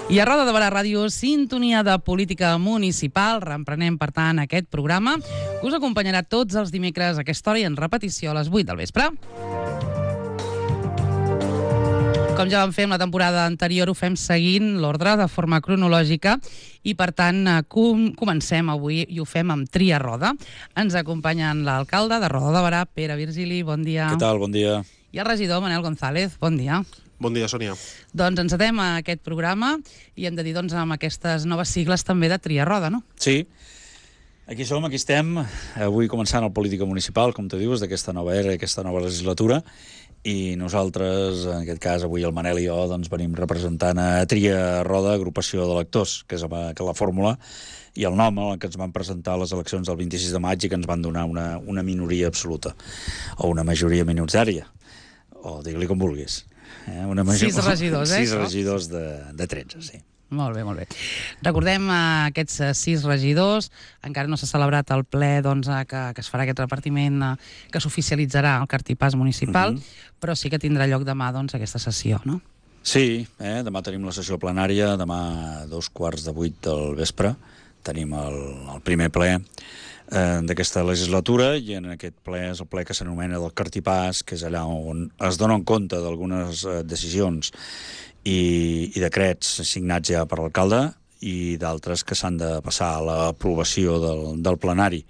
I a Roda de Barà Ràdio, sintonia de política municipal. Reemprenem, per tant, aquest programa que us acompanyarà tots els dimecres a aquesta hora i en repetició a les 8 del vespre. Com ja vam fer en la temporada anterior, ho fem seguint l'ordre de forma cronològica i, per tant, comencem avui i ho fem amb Tria Roda. Ens acompanyen l'alcalde de Roda de Barà, Pere Virgili, bon dia. Què tal? Bon dia. I el regidor, Manel González, bon dia. Bon dia, Sònia. Doncs encetem aquest programa i hem de dir amb aquestes noves sigles també de Tria Roda, no? Sí, aquí som, aquí estem, avui començant el Política Municipal, com tu dius, d'aquesta nova era, aquesta nova legislatura, i nosaltres, en aquest cas, avui el Manel i jo, doncs venim representant a Tria Roda, agrupació d'electors, que és la fórmula, i el nom en què ens van presentar a les eleccions del 26 de maig i que ens van donar una minoria absoluta, o una majoria minoritària, o digue-li com vulguis. 6 regidors, 6 regidors de 13, sí. Molt bé, molt bé. Recordem aquests 6 regidors. Encara no s'ha celebrat el ple que es farà aquest repartiment, que s'oficialitzarà el cartipàs municipal, però sí que tindrà lloc demà aquesta sessió, no? Sí, demà tenim la sessió plenària, demà a 7:15 del vespre tenim el primer ple d'aquesta legislatura, i en aquest ple és el ple que s'anomena del cartipàs, que és allà on es donen compte d'algunes decisions i decrets signats ja per l'alcalde i d'altres que s'han de passar a l'aprovació del plenari.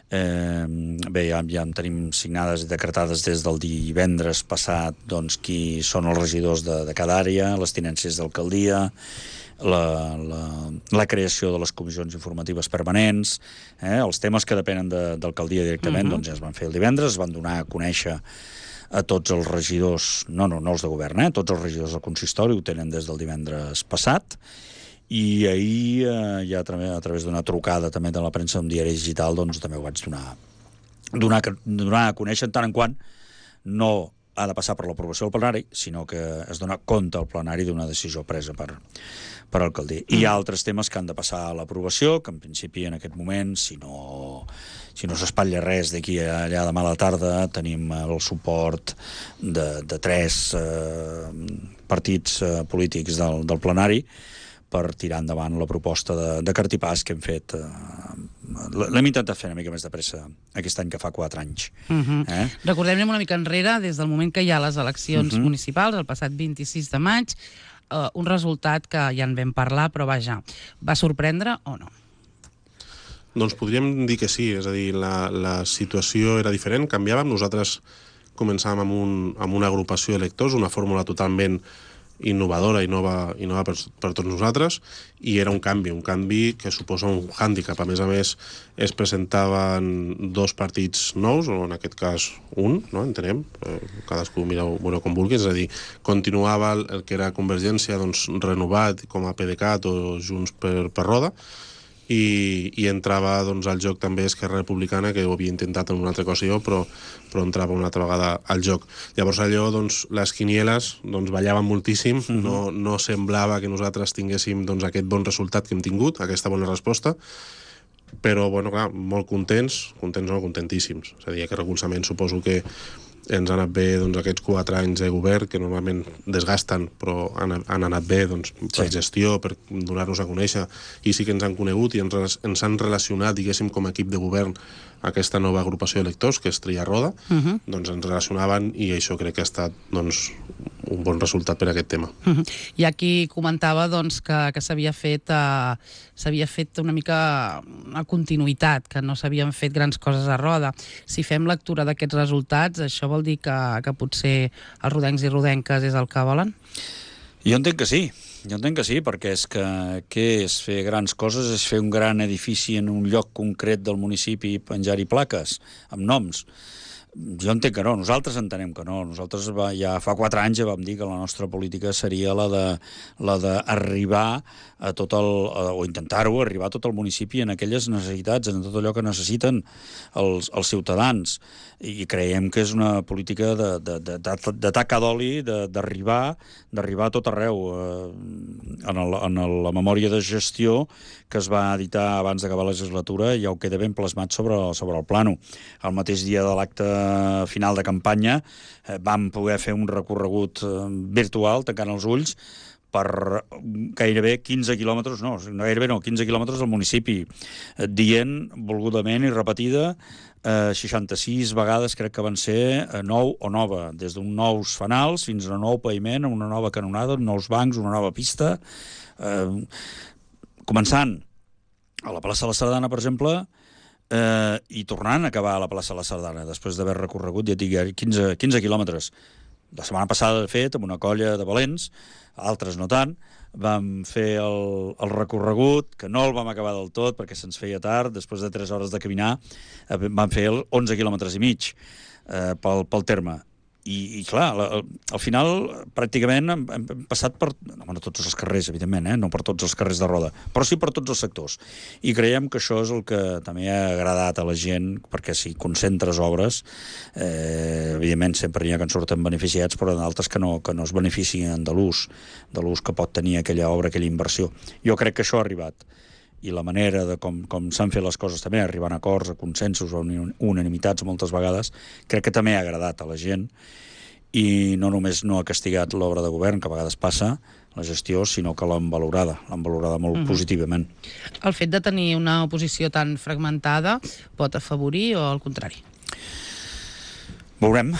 Bé, ja en tenim signades i decretades des del divendres passat qui són els regidors de cada àrea, les tinències d'alcaldia, la creació de les comissions informatives permanents, els temes que depenen d'alcaldia directament, doncs ja es van fer el divendres, es van donar a conèixer a tots els regidors, no els de govern, tots els regidors del consistori ho tenen des del divendres passat, i ahir ja a través d'una trucada també de la premsa d'un diari digital, doncs també ho vaig donar a conèixer, en tant en quant no ha de passar per l'aprovació del plenari, sinó que es dona compte al plenari d'una decisió presa per alcaldia. Hi ha altres temes que han de passar a l'aprovació, que en principi en aquest moment, si no s'espatlla res d'aquí a allà demà a la tarda, tenim el suport de 3 partits polítics del plenari per tirar endavant la proposta de cartipàs que hem fet. L'hem intentat fer una mica més de pressa aquest any, que fa 4 anys. Recordem-ne una mica enrere, des del moment que hi ha les eleccions municipals, el passat 26 de maig, un resultat que ja en vam parlar, però vaja, va sorprendre o no? Doncs podríem dir que sí, és a dir, la situació era diferent, canviàvem, nosaltres començàvem amb una agrupació d'electors, una fórmula totalment innovadora i nova per tots nosaltres, i era un canvi que suposa un hàndicap. A més, es presentaven 2 partits nous, o en aquest cas un, no? Entenem, cadascú mireu com vulgui, és a dir, continuava el que era Convergència renovat com a PDeCAT o Junts per Roda, i entrava al joc també Esquerra Republicana, que ho havia intentat en una altra ocasió, però entrava una altra vegada al joc. Llavors allò, les quinieles ballaven moltíssim, no semblava que nosaltres tinguéssim aquest bon resultat que hem tingut, aquesta bona resposta, però, clar, molt contentíssims. És a dir, aquest recolzament suposo que ens ha anat bé aquests 4 anys de govern, que normalment desgasten, però han anat bé per gestió, per donar-nos a conèixer, i sí que ens han conegut i ens han relacionat, diguéssim, com a equip de govern aquesta nova agrupació d'electors, que és Tria Roda, ens relacionaven, i això crec que ha estat un bon resultat per a aquest tema. I aquí comentava que s'havia fet una mica una continuïtat, que no s'havien fet grans coses a Roda. Si fem lectura d'aquests resultats, això vol dir que potser els rodencs i rodenques és el que volen? Jo entenc que sí, perquè és que què és fer grans coses? És fer un gran edifici en un lloc concret del municipi i penjar-hi plaques amb noms. Jo entenc que no, nosaltres entenem que no. Nosaltres ja fa 4 anys ja vam dir que la nostra política seria la d'arribar a o intentar-ho, arribar a tot el municipi en aquelles necessitats, en tot allò que necessiten els ciutadans. I creiem que és una política de taca d'oli, d'arribar a tot arreu. En la memòria de gestió que es va editar abans d'acabar la legislatura ja ho queda ben plasmat sobre el plànol. El mateix dia de l'acte final de campanya vam poder fer un recorregut virtual, tancant els ulls, per gairebé 15 quilòmetres, no, gairebé no, 15 quilòmetres del municipi, dient volgudament i repetida 66 vegades, crec que van ser nou o nova, des d'un nous fanals fins a un nou paviment, una nova canonada, nous bancs, una nova pista, començant a la plaça de la Sardana, per exemple, i tornant a acabar a la plaça de la Sardana, després d'haver recorregut, ja et dic, 15 quilòmetres. La setmana passada, de fet, amb una colla de valents, altres no tant, vam fer el recorregut, que no el vam acabar del tot perquè se'ns feia tard, després de 3 hores de caminar, vam fer 11 quilòmetres i mig pel terme. I clar, al final pràcticament hem passat per, no tots els carrers, evidentment, no per tots els carrers de Roda, però sí per tots els sectors. I creiem que això és el que també ha agradat a la gent, perquè si concentres obres, evidentment sempre n'hi ha que en surten beneficiats, però d'altres que no es beneficien de l'ús que pot tenir aquella obra, aquella inversió. Jo crec que això ha arribat. I la manera de com s'han fet les coses també, arribant a acords, a consensos, a unanimitats moltes vegades, crec que també ha agradat a la gent i no només no ha castigat l'obra de govern, que a vegades passa, la gestió, sinó que l'han valorada molt positivament. El fet de tenir una oposició tan fragmentada pot afavorir o al contrari? Veurem.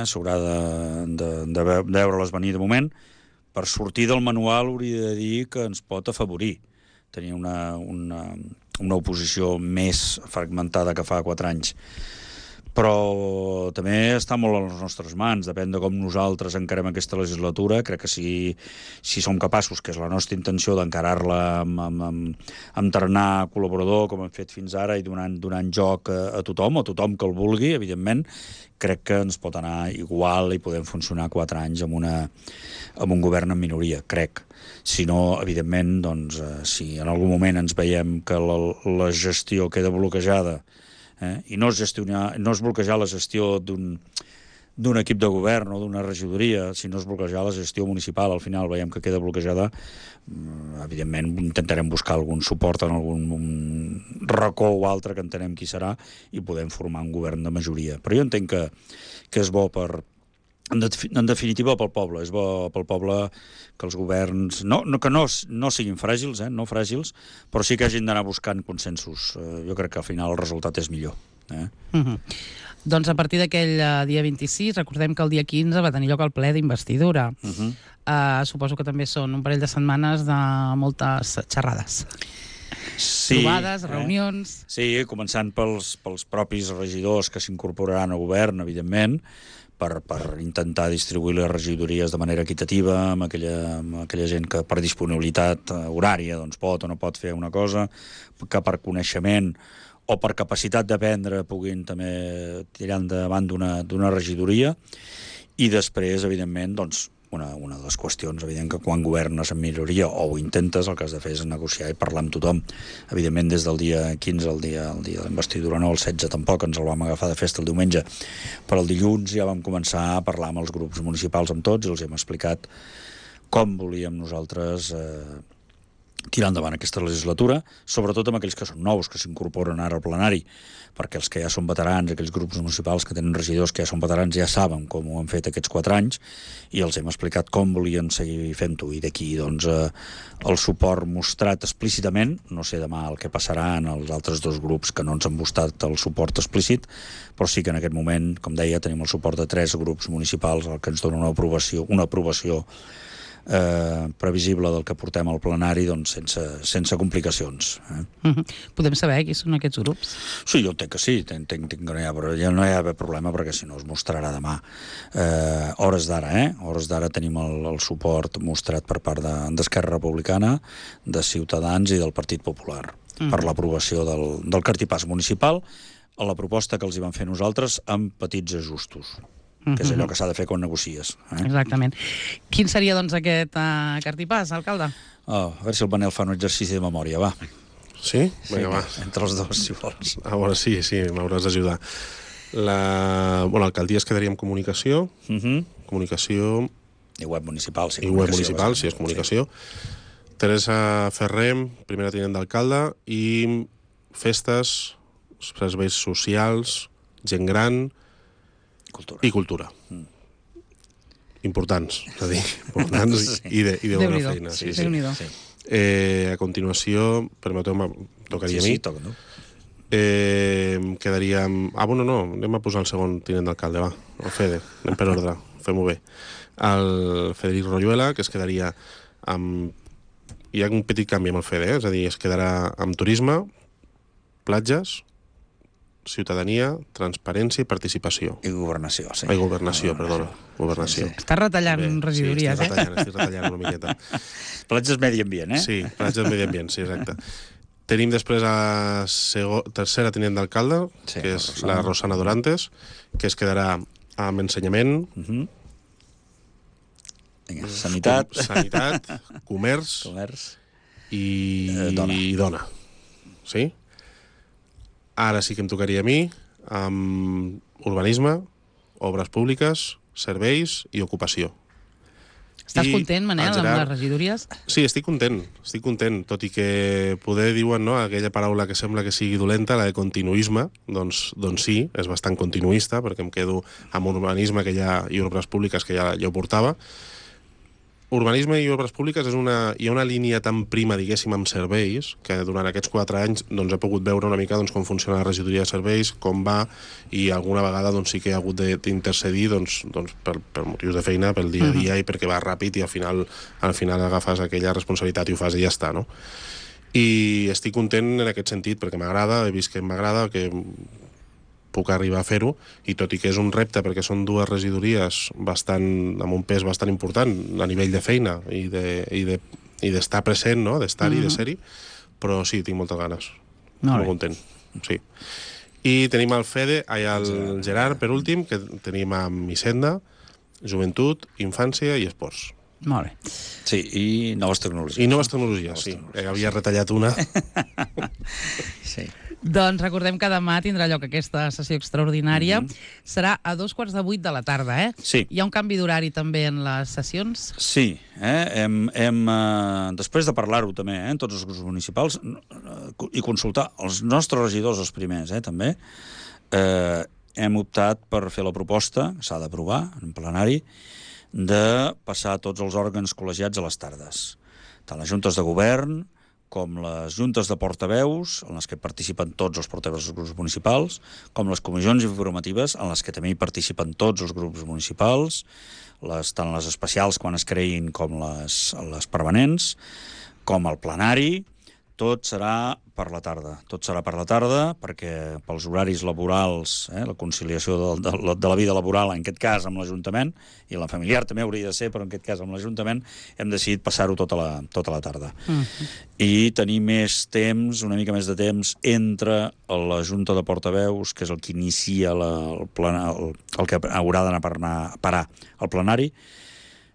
S'haurà de veure-les venir de moment. Per sortir del manual hauria de dir que ens pot afavorir tenir una oposició més fragmentada que fa 4 anys. Però també està molt a les nostres mans, depèn de com nosaltres encarem aquesta legislatura. Crec que si som capaços, que és la nostra intenció, d'encarar-la amb tarannà col·laborador, com hem fet fins ara, i donant joc a tothom, o tothom que el vulgui, evidentment, crec que ens pot anar igual i podem funcionar 4 anys amb un govern en minoria, crec. Si no, evidentment, doncs, si en algun moment ens veiem que la gestió queda bloquejada, i no és bloquejar la gestió d'un equip de govern o d'una regidoria, sinó és bloquejar la gestió municipal, al final veiem que queda bloquejada, evidentment intentarem buscar algun suport en algun racó o altre que entenem qui serà i podem formar un govern de majoria. Però jo entenc que és bo en definitiva pel poble, és bo pel poble que els governs que no siguin fràgils, no fràgils, però sí que hagin d'anar buscant consensos. Jo crec que al final el resultat és millor. Doncs a partir d'aquell dia 26, recordem que el dia 15 va tenir lloc el ple d'investidura. Suposo que també són un parell de setmanes de moltes xerrades. Sí, trobades, reunions... Sí, començant pels propis regidors que s'incorporaran al govern, evidentment, per intentar distribuir les regidories de manera equitativa amb aquella gent que per disponibilitat horària doncs pot o no pot fer una cosa, que per coneixement o per capacitat d'aprendre puguin també tirar endavant d'una regidoria. I després, evidentment, doncs, una de les qüestions, evident que quan governes en minoria o ho intentes, el que has de fer és negociar i parlar amb tothom. Evidentment, des del dia 15, el dia de l'investidura, no, el 16 tampoc, ens el vam agafar de festa el diumenge, però el dilluns ja vam començar a parlar amb els grups municipals, amb tots, i els hem explicat com volíem nosaltres tirar endavant aquesta legislatura, sobretot amb aquells que són nous, que s'incorporen ara al plenari, perquè els que ja són veterans, aquells grups municipals que tenen regidors que ja són veterans, ja saben com ho han fet aquests 4 anys, i els hem explicat com volien seguir fent-ho, i d'aquí doncs el suport mostrat explícitament. No sé demà el que passarà en els altres 2 grups que no ens han mostrat el suport explícit, però sí que en aquest moment, com deia, tenim el suport de 3 grups municipals, el que ens dona una aprovació previsible del que portem al plenari, doncs sense complicacions. Podem saber qui són aquests grups? Sí, jo entenc que sí, entenc que no hi ha d'haver problema, perquè si no es mostrarà demà. Hores d'ara tenim el suport mostrat per part d'Esquerra Republicana, de Ciutadans i del Partit Popular per l'aprovació del cartipàs municipal a la proposta que els hi vam fer nosaltres amb petits ajustos, que és allò que s'ha de fer quan negocies. Exactament. Quin seria, doncs, aquest cartipàs, alcalde? A veure si el Manel fa un exercici de memòria, va. Sí? Vinga, va. Entre els dos, si vols. A veure, sí, m'hauràs d'ajudar. L'alcaldia es quedaria amb comunicació, comunicació... I web municipal, sí. I web municipal, sí, és comunicació. Teresa Ferrer, primera tinent d'alcalde, i festes, serveis socials, gent gran... Cultura. I cultura. importants, és a dir, importants i de bona feina. Sí. A continuació, permeteu-me, tocaria a mi. Sí, toca, no? Quedaríem... no, anem a posar el segon tinent d'alcalde, va, el Fede, anem per ordre, fem-ho bé. El Federic Royuela, que es quedaria amb... Hi ha un petit canvi amb el Fede, és a dir, es quedarà amb turisme, platges, ciutadania, transparència i participació. I governació, sí. Governació, perdona. Governació. Sí. Estàs retallant regidories, estic retallant una miqueta. Platges medi ambient, eh? Sí, platges medi ambient, sí, exacte. Tenim després a tercera tinent d'alcalde, que és la Rosana Dorantes, que es quedarà amb ensenyament, sanitat, comerç i dona. Sí? Ara sí que em tocaria a mi amb urbanisme, obres públiques, serveis i ocupació. Estàs content, Manel, amb les regidories? Sí, estic content, tot i que poder diuen, no, aquella paraula que sembla que sigui dolenta, la de continuisme, doncs sí, és bastant continuista, perquè em quedo amb urbanisme i obres públiques que ja ho portava. Urbanisme i obres públiques hi ha una línia tan prima, diguéssim, amb serveis, que durant aquests 4 anys he pogut veure una mica com funciona la regidoria de serveis, com va, i alguna vegada sí que he hagut d'intercedir per motius de feina, pel dia a dia, i perquè va ràpid i al final agafes aquella responsabilitat i ho fas i ja està, no? I estic content en aquest sentit, perquè m'agrada, he vist que m'agrada, que puc arribar a fer-ho, i tot i que és un repte perquè són 2 regidories amb un pes bastant important a nivell de feina i d'estar present, no? D'estar-hi, de ser-hi, però sí, tinc moltes ganes. Molt content, sí. I tenim el Gerard, per últim, que tenim amb Hisenda, Joventut, Infància i Esports. Molt bé. Sí, i noves tecnologies. Sí. Havia retallat una. Sí. Doncs recordem que demà tindrà lloc aquesta sessió extraordinària. Serà a 7:45 de la tarda, eh? Sí. Hi ha un canvi d'horari també en les sessions? Sí. Després de parlar-ho també, en tots els grups municipals, i consultar els nostres regidors, els primers, també, hem optat per fer la proposta, que s'ha d'aprovar en plenari, de passar tots els òrgans col·legiats a les tardes. Tant les juntes de govern com les juntes de portaveus, en les que participen tots els portaveus dels grups municipals, com les comissions informatives, en les que també hi participen tots els grups municipals, tant les especials quan es creïn com les permanents, com el plenari. Tot serà per la tarda, perquè pels horaris laborals, la conciliació de la vida laboral, en aquest cas amb l'Ajuntament, i la familiar també hauria de ser, però en aquest cas amb l'Ajuntament, hem decidit passar-ho tota la tarda. I tenir més temps, una mica més de temps, entre la Junta de Portaveus, que és el que inicia el que haurà d'anar a parar al plenari,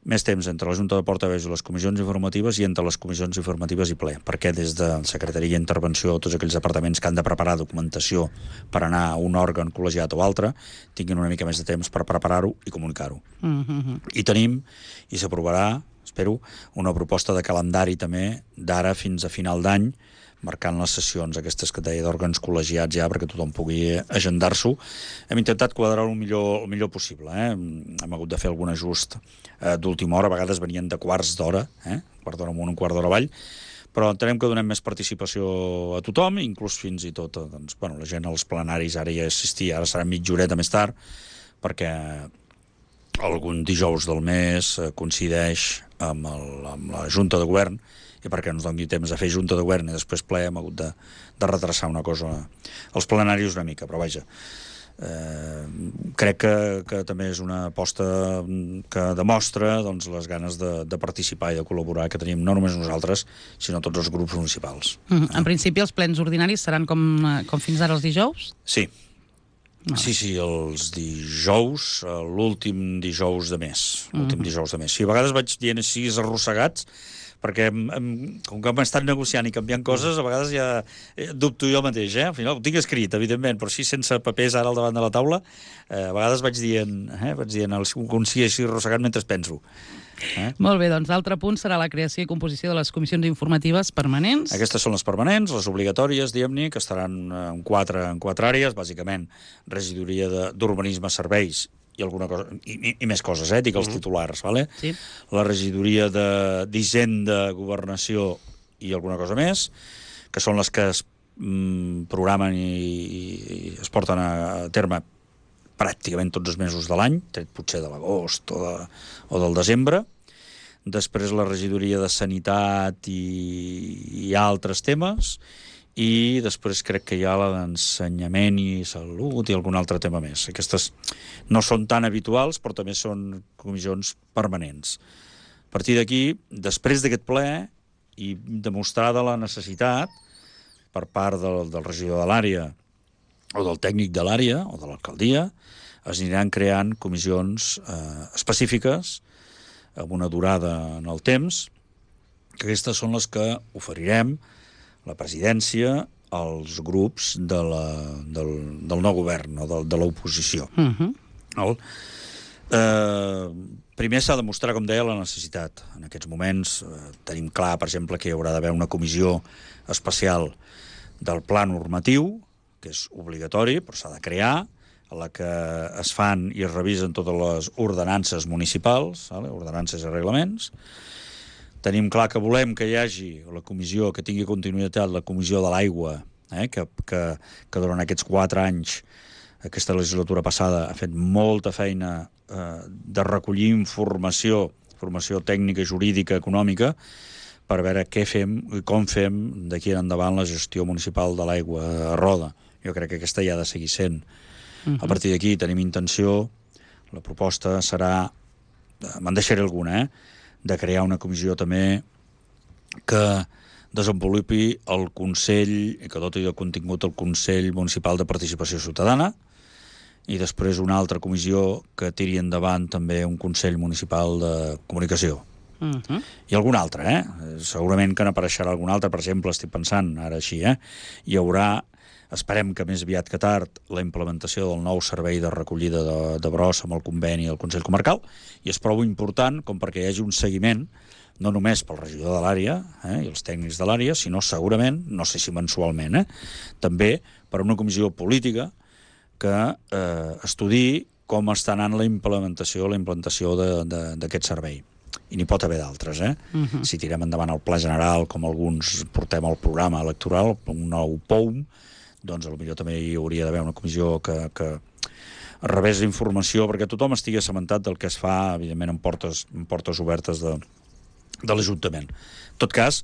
més temps entre la Junta de Portaveus i les comissions informatives i entre les comissions informatives i ple, perquè des de Secretaria d'Intervenció, tots aquells departaments que han de preparar documentació per anar a un òrgan col·legiat o altre, tinguin una mica més de temps per preparar-ho i comunicar-ho. I tenim, i s'aprovarà, espero, una proposta de calendari també d'ara fins a final d'any, marcant les sessions aquestes que deia d'òrgans col·legiats ja perquè tothom pugui agendar-s'ho. Hem intentat quadrar-ho el millor possible. Hem hagut de fer algun ajust d'última hora, a vegades venien de quarts d'hora, quart d'hora amunt, un quart d'hora avall, però entenem que donem més participació a tothom, inclús fins i tot la gent als plenaris ara ja assistia, ara serà mitja horeta més tard, perquè algun dijous del mes coincideix amb la Junta de Govern, i perquè ens doni temps a fer Junta de Govern i després ple hem hagut de retrasar una cosa als plenaris una mica, però vaja, crec que també és una aposta que demostra les ganes de participar i de col·laborar que tenim no només nosaltres, sinó tots els grups municipals. En principi els plens ordinaris seran com fins ara els dijous? Sí. Sí, els dijous, l'últim dijous de mes. Sí, a vegades vaig dient així arrossegats, perquè com que hem estat negociant i canviant coses, a vegades ja dubto jo mateix, Al final ho tinc escrit, evidentment, però així sense papers ara al davant de la taula, a vegades vaig dient un sí així arrossegat mentre penso. Molt bé, doncs l'altre punt serà la creació i composició de les comissions informatives permanents. Aquestes són les permanents, les obligatòries, diguem-ne, que estaran en quatre àrees, bàsicament regidoria d'urbanisme, serveis i alguna cosa, i més coses, dic els titulars, vale? Sí. La regidoria d'Hisenda, Governació i alguna cosa més, que són les que es programen i es porten a terme pràcticament tots els mesos de l'any, tret potser de l'agost o del desembre. Després la regidoria de Sanitat i altres temes, i després crec que hi ha la d'Ensenyament i Salut i algun altre tema més. Aquestes no són tan habituals, però també són comissions permanents. A partir d'aquí, després d'aquest ple, i demostrada la necessitat per part del regidor de l'àrea o del tècnic de l'àrea o de l'alcaldia, es aniran creant comissions específiques amb una durada en el temps, que aquestes són les que oferirem la presidència als grups del nou govern o de l'oposició. Primer s'ha de mostrar, com deia, la necessitat. En aquests moments tenim clar, per exemple, que hi haurà d'haver una comissió especial del pla normatiu, que és obligatori, però s'ha de crear, a la que es fan i es revisen totes les ordenances municipals, ordenances i reglaments. Tenim clar que volem que hi hagi la comissió, que tingui continuïtat, la comissió de l'aigua, que durant aquests 4 anys, aquesta legislatura passada, ha fet molta feina de recollir informació tècnica, jurídica, econòmica, per veure què fem i com fem d'aquí en endavant la gestió municipal de l'aigua a Roda. Jo crec que aquesta ja ha de seguir sent. A partir d'aquí tenim intenció, la proposta serà, me'n deixaré alguna, de crear una comissió també que desenvolupi el Consell, i que doti de contingut el Consell Municipal de Participació Ciutadana, i després una altra comissió que tiri endavant també un Consell Municipal de Comunicació. I algun altre, segurament que n'apareixerà algun altre, per exemple, estic pensant ara així, hi haurà, esperem que més aviat que tard, la implementació del nou servei de recollida de brossa amb el conveni del Consell Comarcal, i és prou important com perquè hi hagi un seguiment, no només pel regidor de l'àrea i els tècnics de l'àrea, sinó segurament, no sé si mensualment, també per una comissió política que estudiï com està anant la implantació d'aquest servei. I n'hi pot haver d'altres, Si tirem endavant el Pla General, com alguns portem al programa electoral, un nou POUM, doncs potser també hi hauria d'haver una comissió que rebés informació perquè tothom estigui assabentat del que es fa, evidentment, en portes obertes de l'Ajuntament. En tot cas,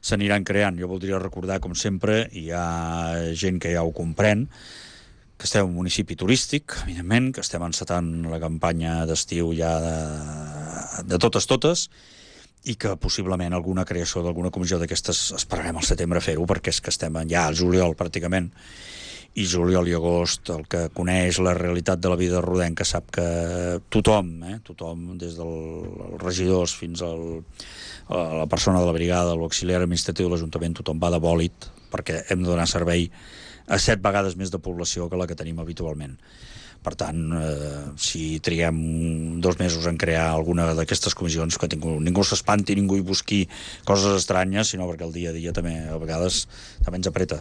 s'aniran creant. Jo voldria recordar, com sempre, i hi ha gent que ja ho comprèn, que estem en un municipi turístic, evidentment, que estem encetant la campanya d'estiu ja de totes, i que possiblement alguna creació d'alguna comissió d'aquestes esperarem al setembre fer-ho, perquè és que estem ja al juliol pràcticament, i juliol i agost, el que coneix la realitat de la vida rodenca sap que tothom, des dels regidors fins a la persona de la brigada, l'auxiliar administratiu de l'Ajuntament, tothom va de bòlit, perquè hem de donar servei a 7 vegades més de població que la que tenim habitualment. Per tant, si triguem 2 mesos en crear alguna d'aquestes comissions, que ningú s'espanti, ningú hi busqui coses estranyes, sinó perquè el dia a dia també a vegades també ens apreta.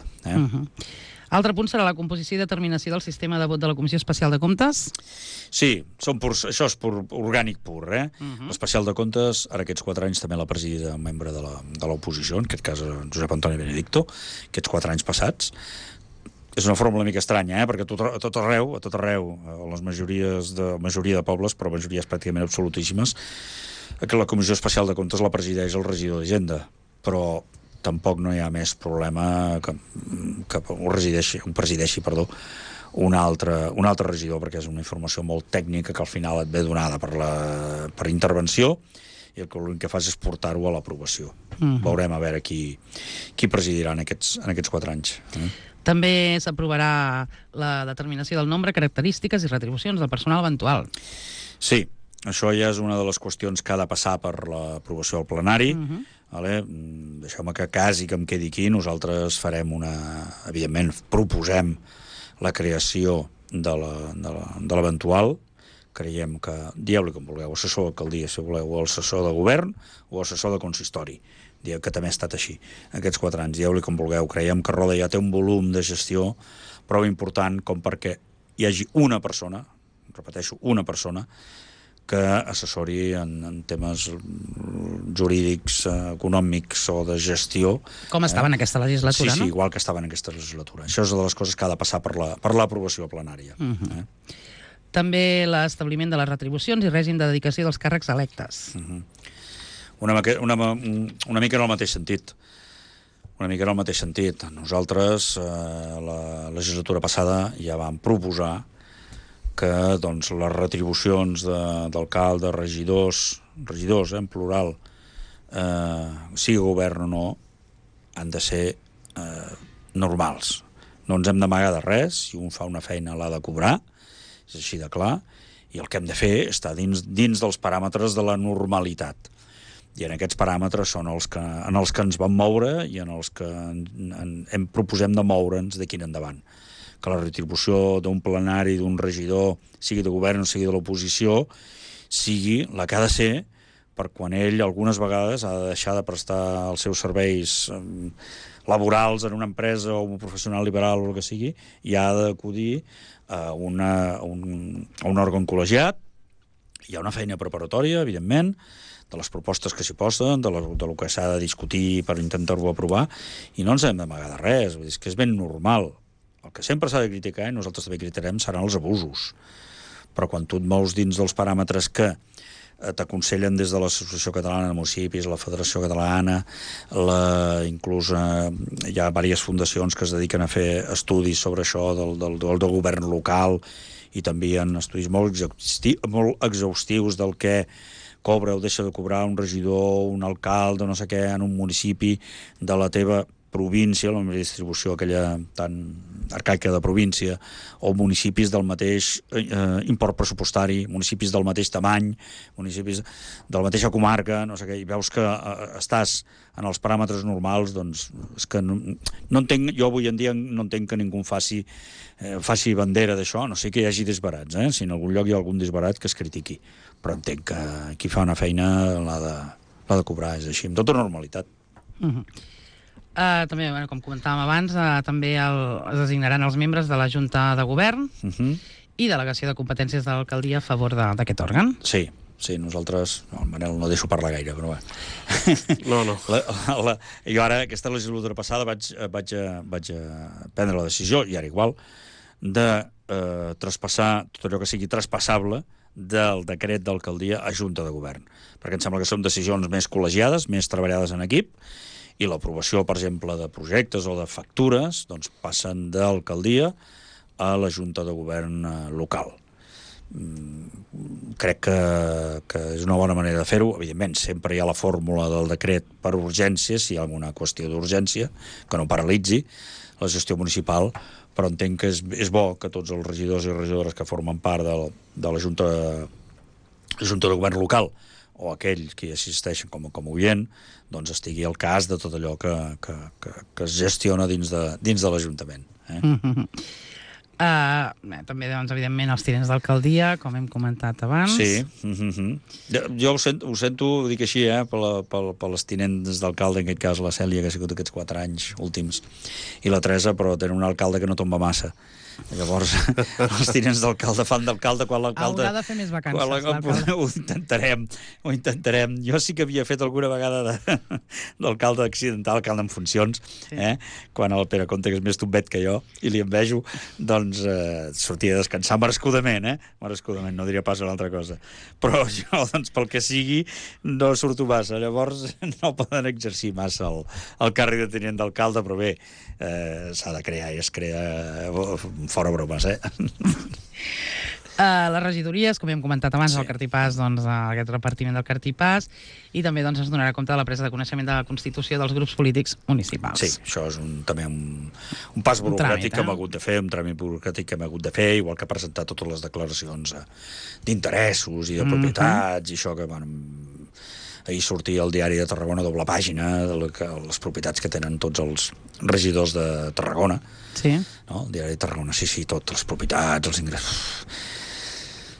Altre punt serà la composició i determinació del sistema de vot de la Comissió Especial de Comptes? Sí, això és orgànic pur. L'Especial de Comptes, ara aquests 4 anys també l'ha presidit un membre de l'oposició, en aquest cas Josep Antoni Benedicto, aquests 4 anys passats. És una forma una mica estranya, perquè a tot arreu, a la majoria de pobles, però majories pràcticament absolutíssimes, que la Comissió Especial de Comptes la presideix el regidor d'Hisenda, però tampoc no hi ha més problema que ho presideixi un altre regidor, perquè és una informació molt tècnica que al final et ve donada per intervenció, i l'únic que fas és portar-ho a l'aprovació. Veurem a veure qui presidirà en aquests 4 anys. També s'aprovarà la determinació del nombre, característiques i retribucions del personal eventual. Sí, això ja és una de les qüestions que ha de passar per l'aprovació al plenari. Deixeu-me que quasi que em quedi aquí. Nosaltres farem evidentment, proposem la creació de l'eventual. Creiem que, dieu-li com vulgueu, assessor d'alcaldia, si voleu, o assessor de govern, o assessor de consistori. Dieu que també ha estat així, aquests 4 anys. Dieu-li com vulgueu. Creiem que Roda ja té un volum de gestió prou important com perquè hi hagi una persona, repeteixo, una persona que assessori en temes jurídics, econòmics o de gestió. Com estava en aquesta legislatura, sí, no? igual que estava en aquesta legislatura. Això és una de les coses que ha de passar per l'aprovació plenària. També l'establiment de les retribucions i règim de dedicació dels càrrecs electes. Una mica en el mateix sentit. Nosaltres, la legislatura passada, ja vam proposar que doncs, les retribucions d'alcaldes, regidors, en plural, sigui govern o no, han de ser normals. No ens hem d'amagar de res, si un fa una feina l'ha de cobrar, és així de clar, i el que hem de fer és estar dins dels paràmetres de la normalitat. I en aquests paràmetres són en els que ens vam moure i en els que proposem de moure'ns d'aquí en endavant. Que la retribució d'un plenari, d'un regidor, sigui de govern o sigui de l'oposició, sigui la que ha de ser per quan ell algunes vegades ha de deixar de prestar els seus serveis laborals en una empresa o un professional liberal o el que sigui, i ha d'acudir a un òrgan col·legiat. Hi ha una feina preparatòria, evidentment, de les propostes que s'hi posen, de lo que s'ha de discutir per intentar-ho aprovar, i no ens hem d'amagar de res, vull dir, és que és ben normal. El que sempre s'ha de criticar, i nosaltres també criticarem, seran els abusos. Però quan tu et mous dins dels paràmetres que t'aconsellen des de l'Associació Catalana de Municipis, la Federació Catalana, inclús hi ha diverses fundacions que es dediquen a fer estudis sobre això del govern local, i també hi ha estudis molt exhaustius del que cobra o deixa de cobrar un regidor, un alcalde, no sé què, en un municipi de la teva província, la distribució aquella tan arcaica de província, o municipis del mateix import pressupostari, municipis del mateix tamany, municipis de la mateixa comarca, no sé què, i veus que estàs en els paràmetres normals, doncs és que no entenc, jo avui en dia no entenc que ningú faci bandera d'això, no sé que hi hagi disbarats, si en algun lloc hi ha algun disbarat que es critiqui, però entenc que qui fa una feina l'ha de cobrar, és així, amb tota normalitat. També, com comentàvem abans, també es designaran els membres de la Junta de Govern i delegació de competències de l'alcaldia a favor d'aquest òrgan. Sí, nosaltres... No, el Manel no deixo parlar gaire, però bé. No. Jo ara, aquesta legislatura passada, vaig prendre la decisió, i ara igual, de traspassar tot allò que sigui traspassable del decret d'alcaldia a Junta de Govern. Perquè em sembla que són decisions més col·legiades, més treballades en equip, i l'aprovació, per exemple, de projectes o de factures, doncs passen d'alcaldia a la Junta de Govern local. Crec que és una bona manera de fer-ho. Evidentment, sempre hi ha la fórmula del decret per urgència, si hi ha alguna qüestió d'urgència, que no paralitzi la gestió municipal, però entenc que és bo que tots els regidors i regidores que formen part de la Junta de Govern local, o aquells que assisteixen com a oient, doncs estigui al cas de tot allò que es gestiona dins de l'Ajuntament. També, doncs, evidentment, els tinents d'alcaldia, com hem comentat abans. Sí. Jo ho sento, ho dic així, per les tinents d'alcalde, en aquest cas la Cèlia, que ha sigut aquests 4 anys últims, i la Teresa, però tenen un alcalde que no tomba massa. Llavors, els tinents d'alcalde fan d'alcalde quan l'alcalde... Haurà de fer més vacances, l'alcalde. Ho intentarem. Jo sí que havia fet alguna vegada d'alcalde accidental, alcalde en funcions, quan el Pere Conte, que és més tombet que jo, i li envejo, doncs sortia a descansar merescudament, merescudament, no diria pas una altra cosa. Però jo, doncs, pel que sigui, no surto massa. Llavors, no poden exercir massa el càrrec de tinent d'alcalde, però bé, s'ha de crear i es crea fora bromes, Les regidories, com hem comentat abans, el cartipàs, doncs, aquest repartiment del cartipàs, i també doncs, es donarà compte de la presa de coneixement de la Constitució dels grups polítics municipals. Sí, això és també un pas burocràtic que hem hagut de fer, un tràmit burocràtic que hem hagut de fer, igual que presentar totes les declaracions d'interessos i de propietats, i això que ahir sortia al diari de Tarragona, doble pàgina, de les propietats que tenen tots els regidors de Tarragona. Sí. No? El diari de Tarragona, sí, totes les propietats, els ingressos...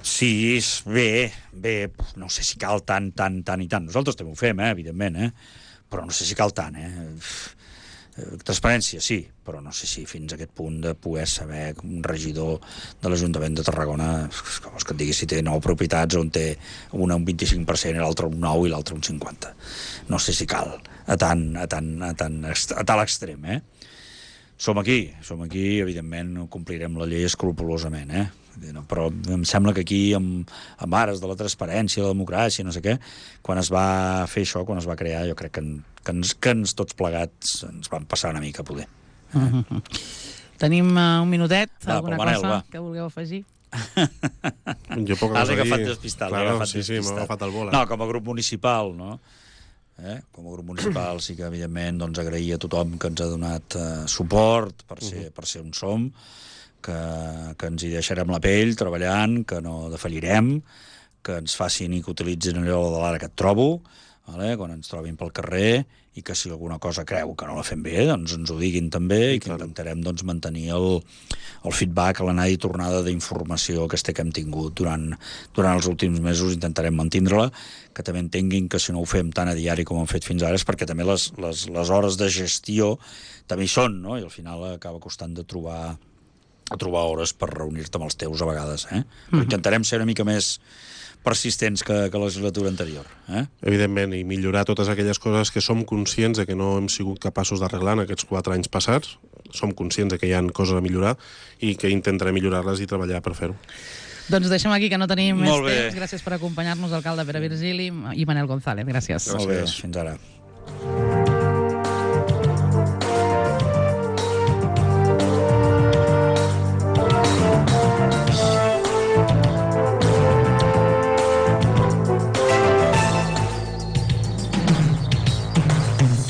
Sí, bé, no sé si cal tant i tant. Nosaltres també ho fem, evidentment, però no sé si cal tant, Transparència, sí, però no sé si fins a aquest punt de poder saber que un regidor de l'Ajuntament de Tarragona, com és que et digui, si té 9 propietats on té una un 25% i l'altra un 9 i l'altra un 50. No sé si cal a tal extrem, Som aquí, evidentment complirem la llei escrupolosament, però em sembla que aquí, amb ares de la transparència, la democràcia, no sé què, quan es va fer això, quan es va crear, jo crec que ens tots plegats ens van passar una mica, poder. Tenim un minutet, alguna Manel, cosa que vulgueu afegir? Jo poca cosa L'he dir. agafat despistat. Claro, sí, m'ha agafat el vol. No, com a grup municipal, no? Com a grup municipal sí que, evidentment, doncs, agrair a tothom que ens ha donat suport per ser on som, que ens hi deixarem la pell treballant, que no defallirem, que ens facin i que utilitzin allò de l'ara que et trobo, quan ens trobin pel carrer, i que si alguna cosa creu que no la fem bé, doncs ens ho diguin també, i que intentarem mantenir el feedback, l'anada i tornada d'informació que hem tingut durant els últims mesos, intentarem mantindre-la, que també entenguin que si no ho fem tan a diari com hem fet fins ara és perquè també les hores de gestió també hi són, no? I al final acaba costant de trobar hores per reunir-te amb els teus a vegades, Però intentarem ser una mica més persistents que la legislatura anterior. Evidentment, i millorar totes aquelles coses que som conscients de que no hem sigut capaços d'arreglar en aquests 4 anys passats. Som conscients de que hi ha coses a millorar i que intentarem millorar-les i treballar per fer-ho. Doncs deixem aquí, que no tenim més temps. Gràcies per acompanyar-nos, alcalde Pere Virgili i Manel González. Gràcies. Molt bé, fins ara.